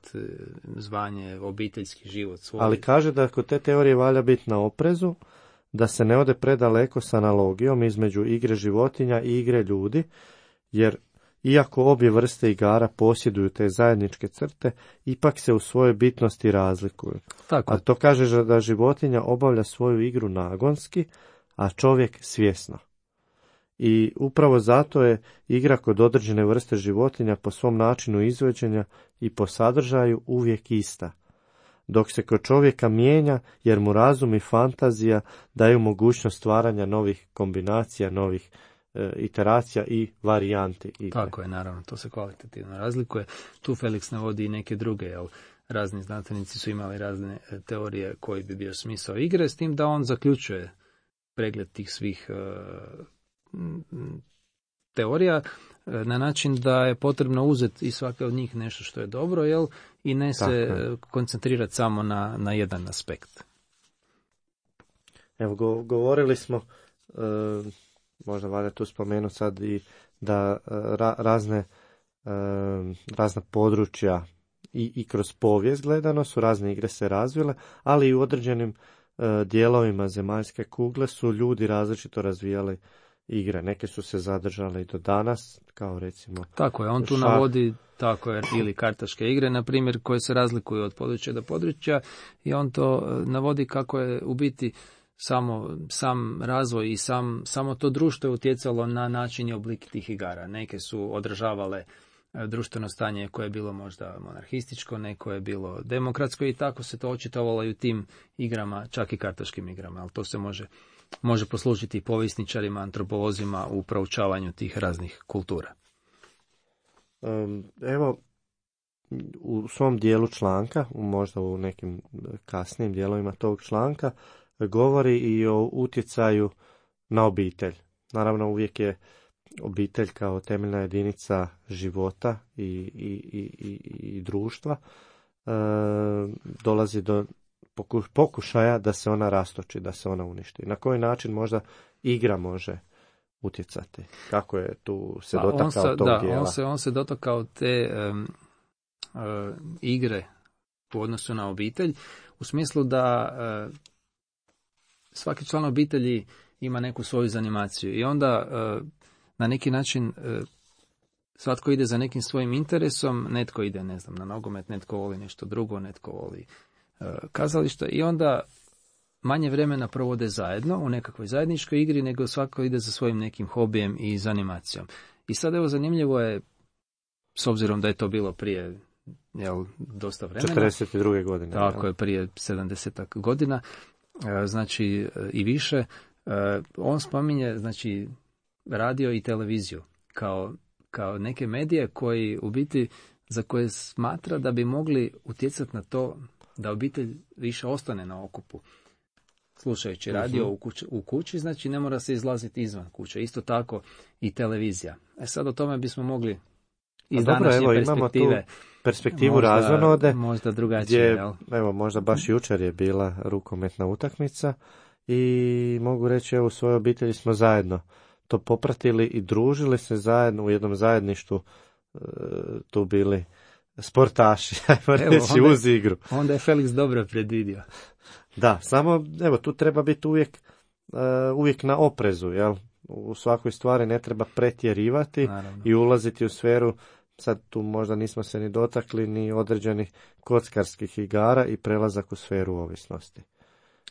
zvanje, obiteljski život svoj. Ali kaže da kod te teorije valja biti na oprezu, da se ne ode predaleko s analogijom između igre životinja i igre ljudi, jer iako obje vrste igara posjeduju te zajedničke crte, ipak se u svojoj bitnosti razlikuju. Tako. A to kaže da životinja obavlja svoju igru nagonski, a čovjek svjesno. I upravo zato je igra kod određene vrste životinja po svom načinu izvođenja i po sadržaju uvijek ista, dok se kod čovjeka mijenja jer mu razum i fantazija daju mogućnost stvaranja novih kombinacija, novih e, iteracija i varijanti igre. Tako je, naravno, to se kvalitativno razlikuje. Tu Felix navodi i neke druge, jel, razni znanstvenici su imali razne teorije koji bi bio smisao igre, s tim da on zaključuje pregled tih svih uh, teorija na način da je potrebno uzeti iz svake od njih nešto što je dobro, jel, i ne se je. koncentrirati samo na, na jedan aspekt. Evo, go, govorili smo, e, možda valja tu spomenuti sad i da ra, razne, e, razna područja i, i kroz povijest gledano su razne igre se razvile, ali i u određenim e, dijelovima zemaljske kugle su ljudi različito razvijali igre. Neke su se zadržale i do danas, kao recimo... Tako je, on tu šah. navodi tako je, ili kartaške igre, na primjer, koje se razlikuju od područja do područja, i on to navodi kako je u biti samo sam razvoj i sam, samo to društvo je utjecalo na način i oblik tih igara. Neke su odražavale društveno stanje koje je bilo možda monarhističko, neko je bilo demokratsko, i tako se to očitovalo i u tim igrama, čak i kartaškim igrama, ali to se može može poslužiti i povjesničarima, antropolozima u proučavanju tih raznih kultura. Um, evo, u svom dijelu članka, možda u nekim kasnijim dijelovima tog članka, govori i o utjecaju na obitelj. Naravno, uvijek je obitelj kao temeljna jedinica života i, i, i, i društva. E, dolazi do pokušaja da se ona rastoči, da se ona uništi. Na koji način možda igra može utjecati? Kako je tu se dotakao on se, tog da, dijela? On se, on se dotakao te um, uh, igre u odnosu na obitelj, u smislu da uh, svaki član obitelji ima neku svoju zanimaciju i onda uh, na neki način uh, svatko ide za nekim svojim interesom, netko ide, ne znam, na nogomet, netko voli nešto drugo, netko voli kazališta, i onda manje vremena provode zajedno u nekakvoj zajedničkoj igri, nego svako ide za svojim nekim hobijem i zanimacijom. I sad evo zanimljivo je, s obzirom da je to bilo prije jel, dosta vremena. četrdeset druge godine. Tako jel? je, prije sedamdesetak godina, e, znači e, i više. E, on spominje, znači, radio i televiziju kao, kao neke medije koji u biti, za koje smatra da bi mogli utjecati na to da obitelj više ostane na okupu. Slušajući radio uh-huh. u, kući, u kući, znači ne mora se izlaziti izvan kuće. Isto tako i televizija. E sad o tome bismo mogli iz dobro, današnje evo, perspektive. imamo tu perspektivu možda, razonode. Možda drugačije, gdje, jel? evo, možda baš jučer je bila rukometna utakmica i mogu reći, evo, u svojoj obitelji smo zajedno to popratili i družili se zajedno u jednom zajedništvu, e, tu bili sportaši, ajmo Evo, reći, onda- uz igru. Onda je Felix dobro predvidio. Da, samo, evo, tu treba biti uvijek, uh, uvijek na oprezu, jel? U svakoj stvari ne treba pretjerivati Naravno. i ulaziti u sferu, sad tu možda nismo se ni dotakli, ni određenih kockarskih igara i prelazak u sferu ovisnosti.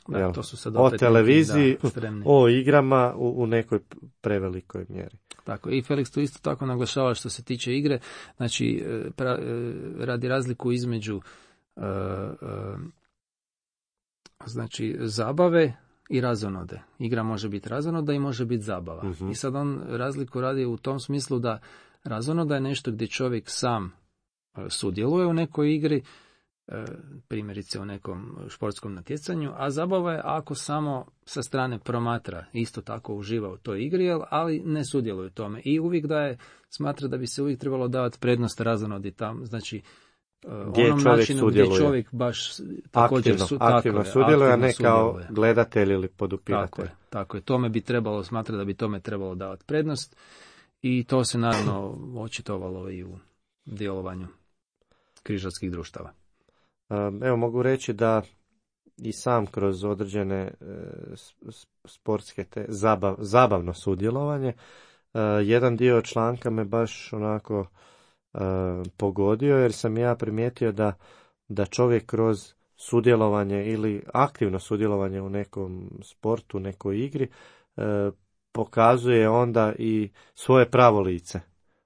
Da, Jel? to su sad O opet televiziji, neki, da, ekstremni. o igrama u, u nekoj prevelikoj mjeri. Tako, i Felix tu isto tako naglašava što se tiče igre, znači e, pra, e, radi razliku između e, e, znači zabave i razonode. Igra može biti razonoda i može biti zabava. Mhm. I sad on razliku radi u tom smislu da razonoda je nešto gdje čovjek sam e, sudjeluje u nekoj igri, e, primjerice u nekom športskom natjecanju, a zabava je ako samo sa strane promatra, isto tako uživa u toj igri, jel, ali ne sudjeluje u tome. I uvijek daje, smatra da bi se uvijek trebalo davati prednost razonodi tam, znači e, Gdje onom čovjek načinu sudjeluje. gdje čovjek baš također Aktivno, su, tako aktivno je, sudjeluje, a aktivno ne kao sudjeluje. gledatelj ili Tako podupiratelj. je, tako je. Tome bi trebalo, smatra da bi tome trebalo davati prednost i to se naravno očitovalo i u djelovanju križarskih društava. Um, Evo, mogu reći da i sam kroz određene e, s- s- sportske te zabav, zabavno sudjelovanje, e, jedan dio članka me baš onako e, pogodio, jer sam ja primijetio da, da čovjek kroz sudjelovanje ili aktivno sudjelovanje u nekom sportu, nekoj igri, e, pokazuje onda i svoje pravo lice,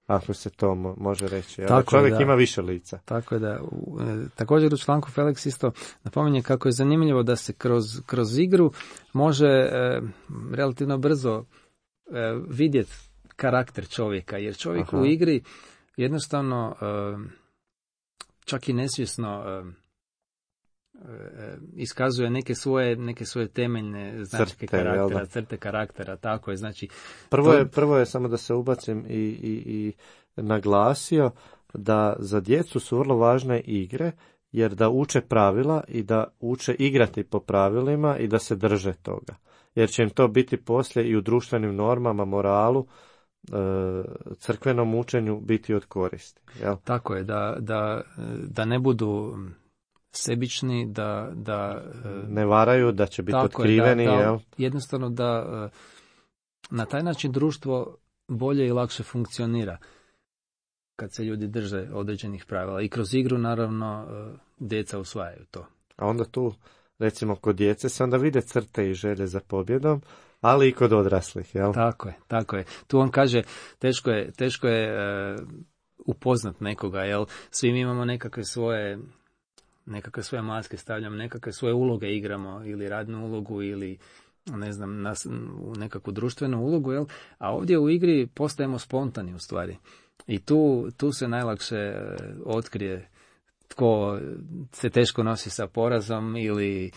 ako se to mo- može reći. jel? Tako je, Čovjek da. ima više lica. Tako je da, u, e, također u članku Felix isto napominje kako je zanimljivo da se kroz, kroz igru može e, relativno brzo e, vidjeti karakter čovjeka, jer čovjek Aha. u igri jednostavno e, čak i nesvjesno e, e, iskazuje neke svoje, neke svoje temeljne značke Crte, jel da? karaktera, crte karaktera, tako je, znači Prvo To- je, prvo je samo da se ubacim i, i, i naglasio da za djecu su vrlo važne igre, jer da uče pravila i da uče igrati po pravilima i da se drže toga. Jer će im to biti poslije i u društvenim normama, moralu, e, crkvenom učenju biti od koristi. Jel? tako je, da, da, da ne budu sebični, da, da e, Ne varaju, da će biti tako je, otkriveni. da, da, Jel? jednostavno da e, na taj način društvo bolje i lakše funkcionira kad se ljudi drže određenih pravila. I kroz igru, naravno, e, djeca usvajaju to. A onda tu, recimo, kod djece se onda vide crte i želje za pobjedom, ali i kod odraslih. Jel? Tako je, tako je. Tu on kaže, teško je, teško je e, upoznat nekoga, jel? Svi mi imamo nekakve svoje nekakve svoje maske stavljamo, nekakve svoje uloge igramo, ili radnu ulogu, ili ne znam, nas, u nekakvu društvenu ulogu, jel? A ovdje u igri postajemo spontani u stvari. I tu, tu se najlakše e, otkrije tko se teško nosi sa porazom ili e,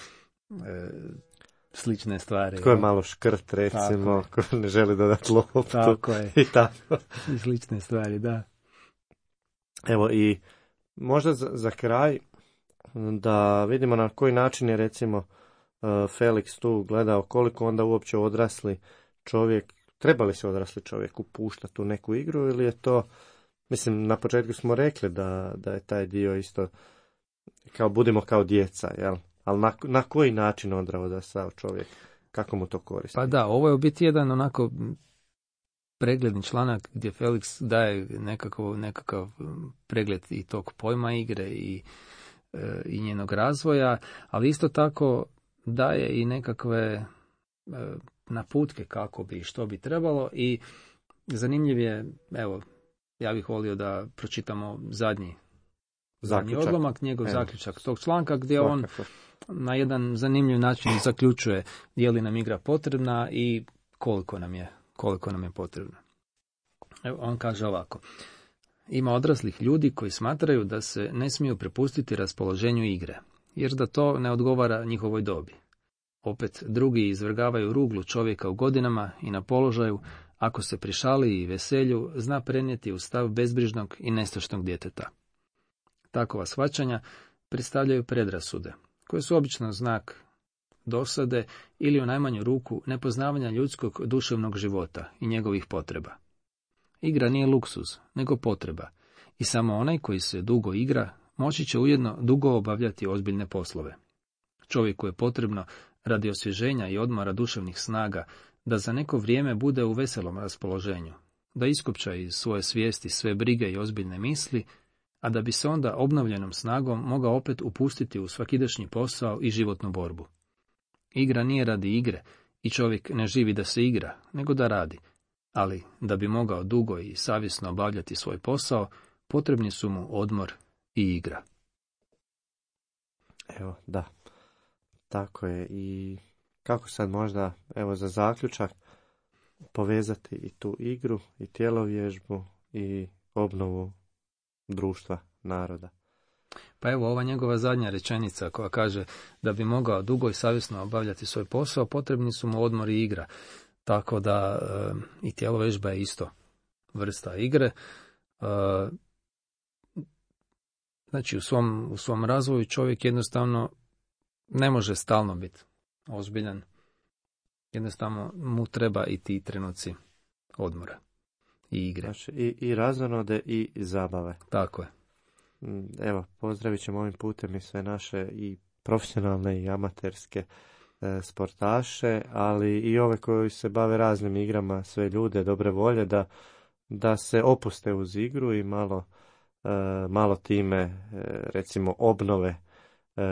slične stvari. Tko je jel? malo škrt, recimo, Tako ko ne želi dodati loptu Tako je. i tako. I slične stvari, da. Evo i možda za, za kraj da vidimo na koji način je recimo uh, Felix tu gledao koliko onda uopće odrasli čovjek, treba li se odrasli čovjek upuštati u neku igru ili je to, mislim na početku smo rekli da, da je taj dio isto kao budimo kao djeca, jel? Ali na, na koji način onda odrastao čovjek, kako mu to koristi? Pa da, ovo je u biti jedan onako pregledni članak gdje Felix daje nekakav, nekakav pregled i tog pojma igre i, e, i njenog razvoja, ali isto tako daje i nekakve e, naputke kako bi, što bi trebalo i zanimljiv je, evo, ja bih volio da pročitamo zadnji Zaključak. odlomak, njegov Evo. zaključak tog članka gdje on Svakako. na jedan zanimljiv način zaključuje je li nam igra potrebna i koliko nam je, koliko nam je potrebna. Evo, on kaže ovako. Ima odraslih ljudi koji smatraju da se ne smiju prepustiti raspoloženju igre, jer da to ne odgovara njihovoj dobi. Opet drugi izvrgavaju ruglu čovjeka u godinama i na položaju, ako se pri šali i veselju zna prenijeti u stav bezbrižnog i nestašnog djeteta. Takova shvaćanja predstavljaju predrasude, koje su obično znak dosade ili u najmanju ruku nepoznavanja ljudskog duševnog života i njegovih potreba. Igra nije luksuz, nego potreba, i samo onaj koji se dugo igra moći će ujedno dugo obavljati ozbiljne poslove. Čovjeku je potrebno, radi osvježenja i odmora duševnih snaga, da za neko vrijeme bude u veselom raspoloženju, da iskopča iz svoje svijesti sve brige i ozbiljne misli, a da bi se onda obnovljenom snagom mogao opet upustiti u svakidašnji posao i životnu borbu. Igra nije radi igre i čovjek ne živi da se igra, nego da radi, ali da bi mogao dugo i savjesno obavljati svoj posao, potrebni su mu odmor i igra. Evo, da. Tako je. I kako sad možda, evo za zaključak, povezati i tu igru, i tjelovježbu, i obnovu društva, naroda. Pa evo ova njegova zadnja rečenica koja kaže da bi mogao dugo i savjesno obavljati svoj posao, potrebni su mu odmor i igra. Tako da e, i tjelovježba je isto vrsta igre. E, znači u svom, u svom razvoju čovjek jednostavno ne može stalno biti ozbiljan. Jednostavno mu treba i ti trenuci odmora i igre. Znači, i, i razonode i zabave. Tako je. Evo, pozdravit ćemo ovim putem i sve naše i profesionalne i amaterske e, sportaše, ali i ove koji se bave raznim igrama, sve ljude dobre volje, da, da se opuste uz igru i malo, e, malo time, e, recimo, obnove e,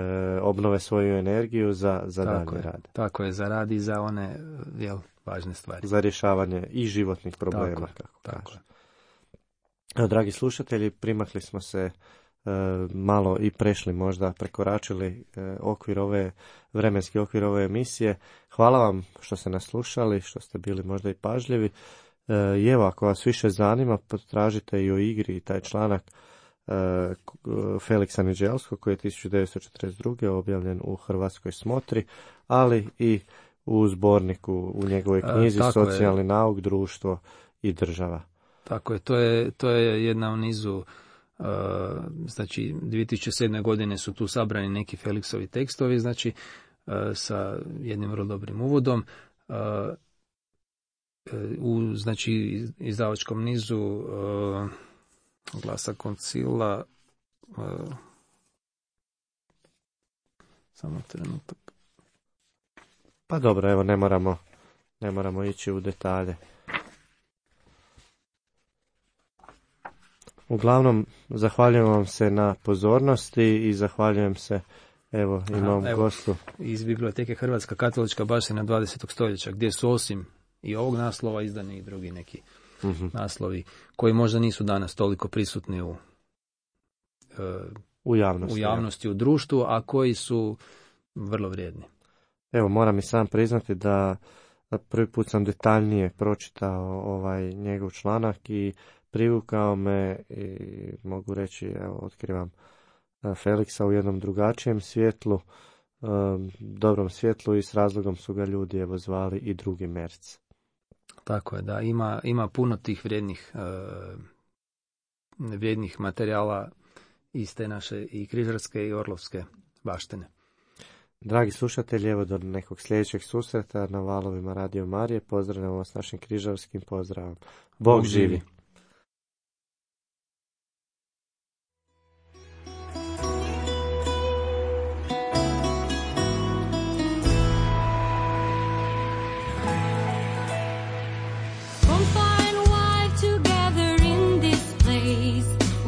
obnove svoju energiju za, za dalje rad. Tako je, za rad i za one jel, važne stvari. Za rješavanje i životnih problema. Tako, kako tako kaže. Evo, dragi slušatelji, primakli smo se e, malo i prešli, možda prekoračili e, okvir ove, vremenski okvir ove emisije. Hvala vam što ste nas slušali, što ste bili možda i pažljivi. E, I evo, ako vas više zanima, potražite i o igri i taj članak e, Feliksa Niđelskog koji je tisuću devetsto četrdeset druge objavljen u Hrvatskoj smotri, ali i u zborniku u njegovoj knjizi e, Socijalni je. nauk, društvo i država. Tako je, to je, to je jedna u nizu, uh, znači dvije tisuće sedme. godine su tu sabrani neki Feliksovi tekstovi, znači uh, sa jednim vrlo dobrim uvodom. Uh, u znači izdavačkom nizu uh, Glasa koncila, uh, samo trenutak. Pa dobro, evo, ne moramo, ne moramo ići u detalje. Uglavnom, zahvaljujem vam se na pozornosti i zahvaljujem se evo i novom gostu. Iz biblioteke Hrvatska katolička baština dvadesetog stoljeća, gdje su osim i ovog naslova izdani i drugi neki uh-huh. naslovi koji možda nisu danas toliko prisutni u, uh, u javnosti, u, javnosti u društvu, a koji su vrlo vrijedni. Evo, moram i sam priznati da prvi put sam detaljnije pročitao ovaj njegov članak i privukao me i mogu reći, evo, otkrivam Feliksa u jednom drugačijem svjetlu, dobrom svjetlu, i s razlogom su ga ljudi evo zvali i drugi Merc. Tako je, da, ima, ima puno tih vrijednih, uh, vrijednih materijala iz te naše i križarske i orlovske baštine. Dragi slušatelji, evo do nekog sljedećeg susreta na valovima Radio Marije. Pozdravljamo vas našim križarskim pozdravom. Bog, Bog živi!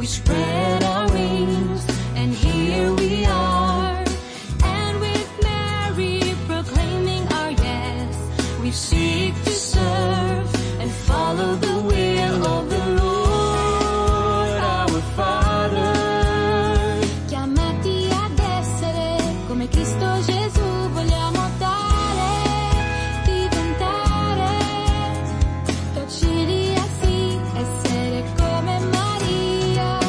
Spread our wings, and here we are, and with Mary proclaiming our yes, we seek to serve and follow the will of come Cristo Gesù vogliamo dare, diventare docili e sì, essere come Maria.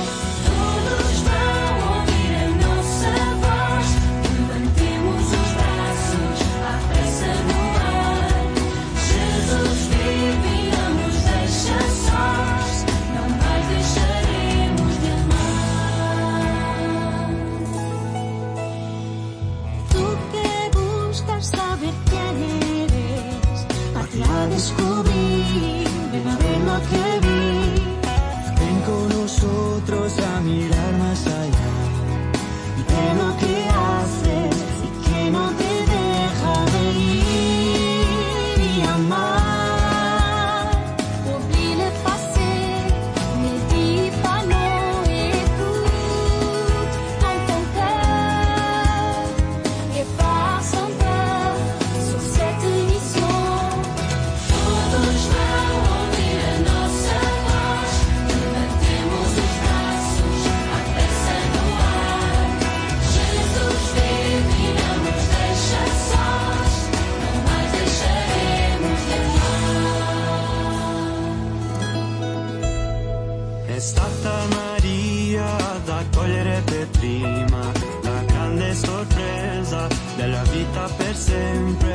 Todos vão ouvir a nossa voz, levantemos os braços, a pressa no ar. Jesus vive e não nos deixa sós, não mais deixaremos de amar. Tu que buscas saber quién eres, parte a descubrir, ven a ver lo que vi. Ven con nosotros a mirar más allá De lo que haces y que no te deja de ir y amar. Oublie le passé, ne dis pas non, écoute dans ton cœur et pars sans peur sur cette mission. Todos vão ouvir a nossa voz, levantemos os braços, a pressa no ar. Jesus vive e não nos deixa sós, não mais deixaremos de amar. È stata Maria ad accogliere per prima la grande sorpresa della vita per sempre.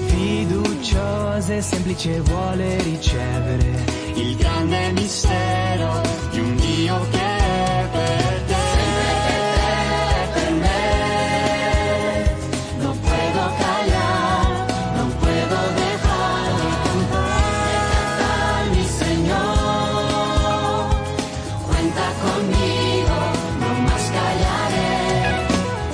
Fiduciosa e semplice vuole ricevere il grande mistero di un Dio che è per te. Per me, no puedo callar, no puedo dejar de cantar, mi Señor. Cuenta conmigo, no más callaré.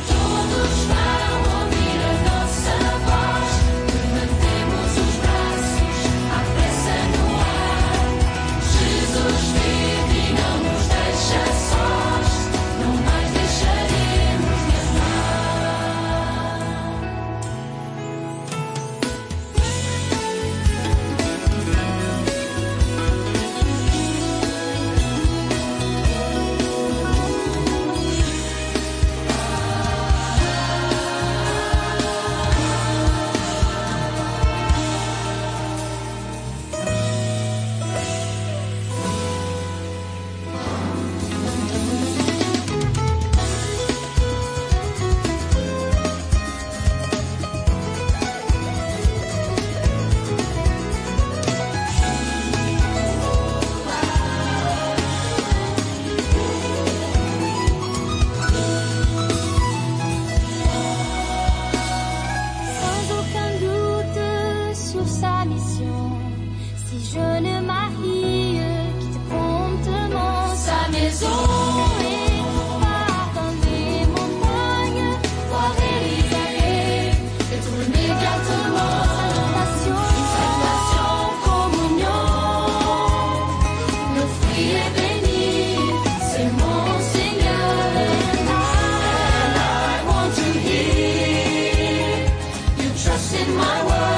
Todos vão ouvir a nossa voz, levantemos os braços, a pressa no ar. Jesus vive e não nos deixa sós, não mais deixaremos de amar. Sans aucun doute sur sa mission, si jeune Marie quitte promptement sa maison et part dans les montagnes voir Élisabeth et tourner immédiatement salutation, salutation, communion. Le fruit est béni, c'est mon Seigneur, and I want to hear you trust in my word.